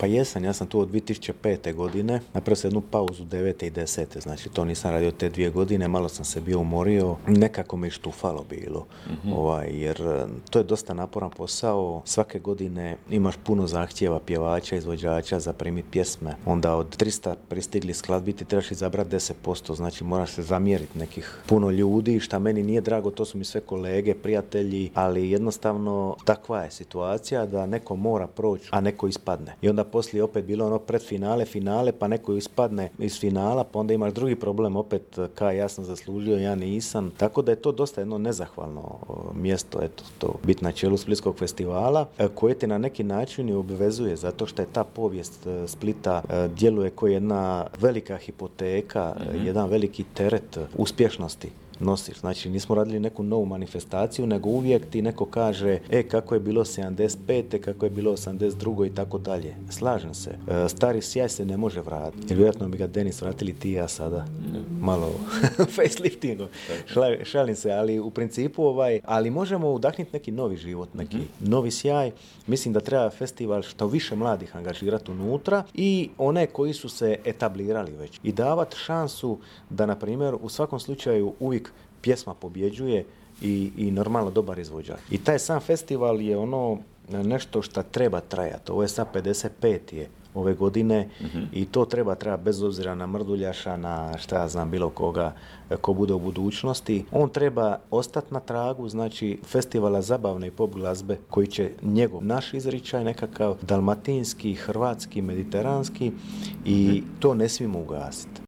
Pa jesam, ja sam tu od 2005. godine, napravio sam jednu pauzu 9. i 10. Znači to nisam radio te 2 godine, malo sam se bio umorio, nekako me štufalo bilo, jer to je dosta naporan posao, svake godine imaš puno zahtjeva pjevača, izvođača za primiti pjesme, onda od 300 pristigli skladbi ti trebaš izabrati 10%, znači moraš se zamjeriti nekih puno ljudi, šta meni nije drago, to su mi sve kolege, prijatelji, ali jednostavno takva je situacija da neko mora proći, a neko ispadne. I onda poslije opet bilo ono predfinale, finale, pa neko ispadne iz finala, pa onda imaš drugi problem, opet kaj ja sam zaslužio, ja nisam. Tako da je to dosta jedno nezahvalno mjesto, eto, to biti na čelu Splitskog festivala, koje te na neki način i obvezuje, zato što je ta povijest Splita djeluje kao jedna velika hipoteka, jedan veliki teret uspješnosti nosiš. Znači, nismo radili neku novu manifestaciju, nego uvijek ti neko kaže kako je bilo 75. kako je bilo 82. i tako dalje. Slažem se. Stari sjaj se ne može vratiti. Jer vjerojatno bi ga Denis vratili ti i ja sada. Malo faceliftingom. Šalim se, ali u principu ali možemo udahniti neki novi život, neki novi sjaj. Mislim da treba festival što više mladih angažirati unutra i one koji su se etablirali već. I davati šansu da, na primjer, u svakom slučaju uvijek pjesma pobjeđuje i normalno dobar izvođač. I taj sam festival je ono nešto što treba trajati. Ovo je sad 55. je ove godine i to treba bez obzira na Mrduljaša, na šta ja znam bilo koga ko bude u budućnosti. On treba ostati na tragu, znači festivala zabavne i pop glazbe koji će naš izričaj nekakav dalmatinski, hrvatski, mediteranski i to ne smijemo ugasiti.